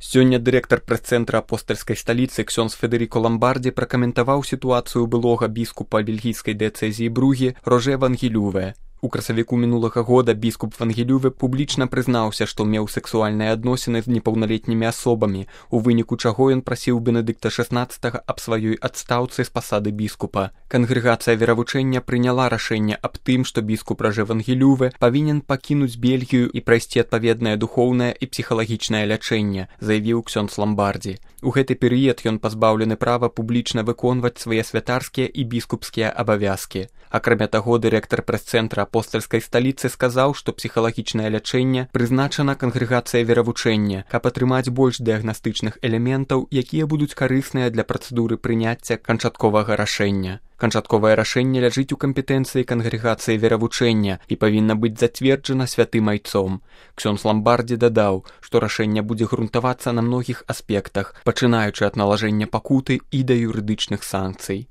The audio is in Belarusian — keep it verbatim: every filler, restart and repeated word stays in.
Сёння дырэктар прэс-цэнтра апостальскай сталіцы ксёндз Федэріко Ламбардзі пракаментаваў сітуацыю былога біскупа бельгійскай дыяцэзіі Бругі Роже Вангелюве. У красавіку мінулага года біскуп Вангелюве публічна прызнаўся, што меў сексуальныя адносіны з непаўналетнімі асобамі, у выніку чаго ён прасіў Бенедыкта шаснаццатага аб сваёй адстаўцы з пасады біскупа. Кангрэгацыя веравучэння прыняла рашэнне аб тым, што біскуп Роже Вангелюве павінен пакінуць Бельгію і прайсці адпаведнае духоўнае і псіхалагічнае лячэнне, заявіў ксёндз Ламбардзі. У гэты перыяд ён пазбаўлены права публічна выконваць свае святарскія і біскупскія абавязкі. Акрамя таго, дырэктар прэс-цэнтра апостальскай сталіцы сказаў, што псіхалагічнае лячэнне прызначана кангрэгацыя веравучэння, каб атрымаць больш дыягнастычных элементаў, якія будуць карысныя для працэдуры прыняцця канчатковага рашэння. Канчатковае рашэнне ляжыць у кампетэнцыі кангрэгацыі веравучэння і павінна быць зацверджана святым айцом. Ксёндз Ламбардзі дадаў, што рашэнне будзе грунтавацца на многіх аспектах, пачынаючы ад налажэння пакуты і да юрыдычных санкцый.